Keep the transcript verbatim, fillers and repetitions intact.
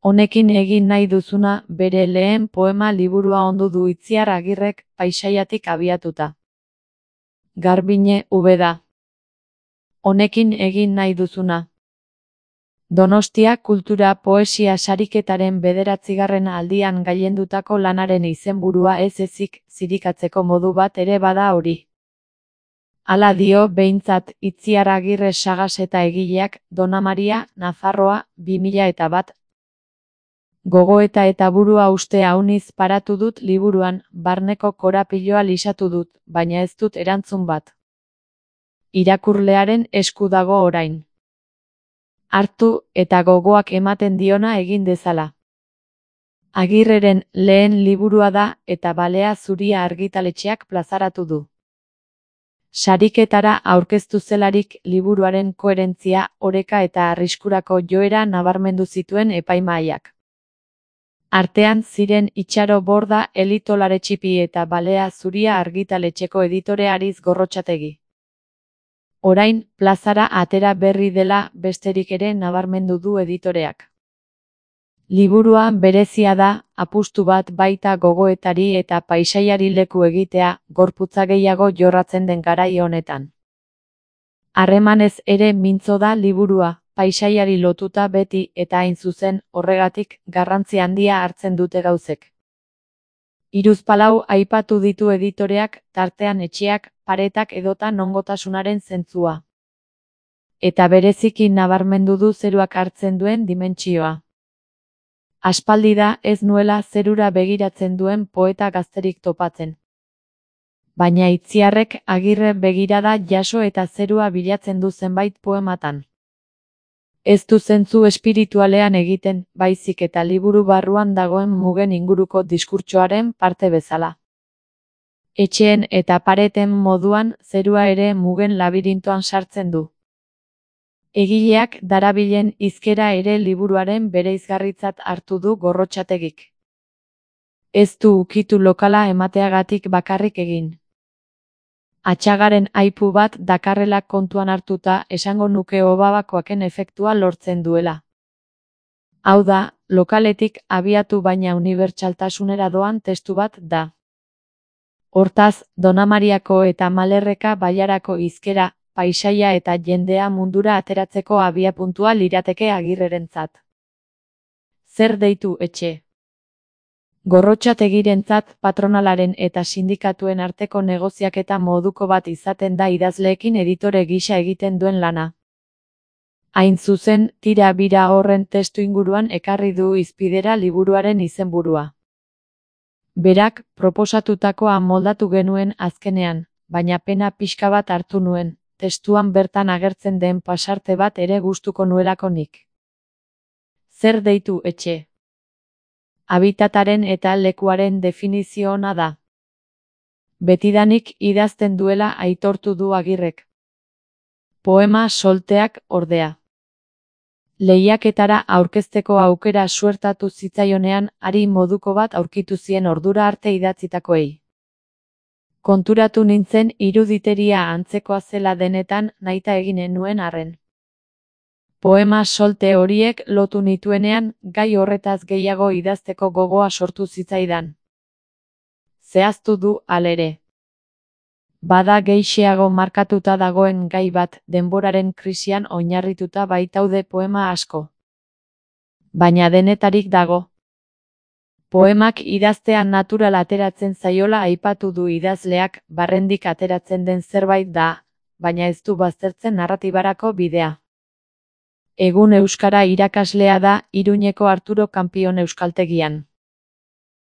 Honekin egin nahi duzuna bere lehen poema liburua ondu du Itziar Agirrek Paisaiatik abiatuta. Garbiñe Ubeda. Honekin egin nahi duzuna. Donostia Kultura Poesia Sariketaren bederatzigarren aldian gailendutako lanaren izenburua ez ezik zirikatzeko modu bat ere bada hori. Hala dio behintzat Itziar Agirre Sagas eta egileak, Dona Maria, Nafarroa, bi mila eta bat. Gogoeta eta burua uste auniz paratu dut liburuan, barneko korapiloa lisatu dut, baina ez dut erantzun bat. Irakurlearen esku dago orain. Hartu eta gogoak ematen diona egin dezala. Agirreren lehen liburua da eta Balea Zuria argitaletxeak plazaratu du. Sariketara aurkeztu zelarik liburuaren koherentzia, oreka eta arriskurako joera nabarmendu zituen epaimahaiak. Artean ziren Itxaro Borda Elitolaretxipi eta Balea Zuria argitaletxeko editore Ariz Gorrotxategi. Orain, plazara atera berri dela besterik ere nabarmendu du editoreak. Liburua berezia da, apustu bat baita gogoetari eta paisaiari leku egitea, gorputza gehiago jorratzen den garai honetan. Harremanez ere mintzo da liburua, paisaiari lotuta beti eta hain zuzen, horregatik, garrantzi handia hartzen dute gauzek. Hiruzpalau aipatu ditu editoreak, tartean etxeak, paretak edota nongotasunaren zentzua. Eta bereziki nabarmendu du zeruak hartzen duen dimentsioa. Aspaldi da ez nuela zerura begiratzen duen poeta gazterik topatzen. Baina Itziarrek Agirre begirada jaso eta zerua bilatzen du zenbait poematan. Ez du zentzu espiritualean egiten, baizik eta liburu barruan dagoen mugen inguruko diskurtsoaren parte bezala. Etxeen eta pareten moduan zerua ere mugen labirintoan sartzen du. Egileak darabilen hizkera ere liburuaren bereizgarritzat hartu du Gorrotxategik. Ez du ukitu lokala emateagatik bakarrik egin. Atxagaren aipu bat dakarrela kontuan hartuta esango nuke obabakoaken efektua lortzen duela. Hau da, lokaletik abiatu baina unibertsaltasunera doan testu bat da. Hortaz, Dona Mariako eta Malerreka bailarako hizkera, paisaia eta jendea mundura ateratzeko abiapuntua lirateke Agirrerentzat. Zer deitu etxe? Gorrotxategirentzat patronalaren eta sindikatuen arteko negoziaketa moduko bat izaten da idazleekin editore gisa egiten duen lana. Hain zuzen, tira bira horren testu inguruan ekarri du hizpidera liburuaren izenburua. Berak, proposatutakoa moldatu genuen azkenean, baina pena pixka bat hartu nuen, testuan bertan agertzen den pasarte bat ere gustuko nuelako nik. Zer deitu etxe? Habitataren eta lekuaren definizio ona da. Betidanik idazten duela aitortu du Agirrek. Poema solteak ordea. Lehiaketara aurkezteko aukera suertatu zitzaionean ari moduko bat aurkitu zien ordura arte idatzitakoei. Konturatu nintzen iruditeria antzekoa zela denetan nahita eginen nuen arren. Poema solte horiek lotu nituenean, gai horretaz gehiago idazteko gogoa sortu zitzaidan. Zehaztu du halere. Bada gehixeago markatuta dagoen gai bat denboraren krisian oinarrituta baitaude poema asko. Baina denetarik dago. Poemak idaztea natural ateratzen zaiola aipatu du idazleak, barrendik ateratzen den zerbait da, baina ez du baztertzen narratibarako bidea. Egun euskara irakaslea da Iruñeko Arturo Kanpion euskaltegian.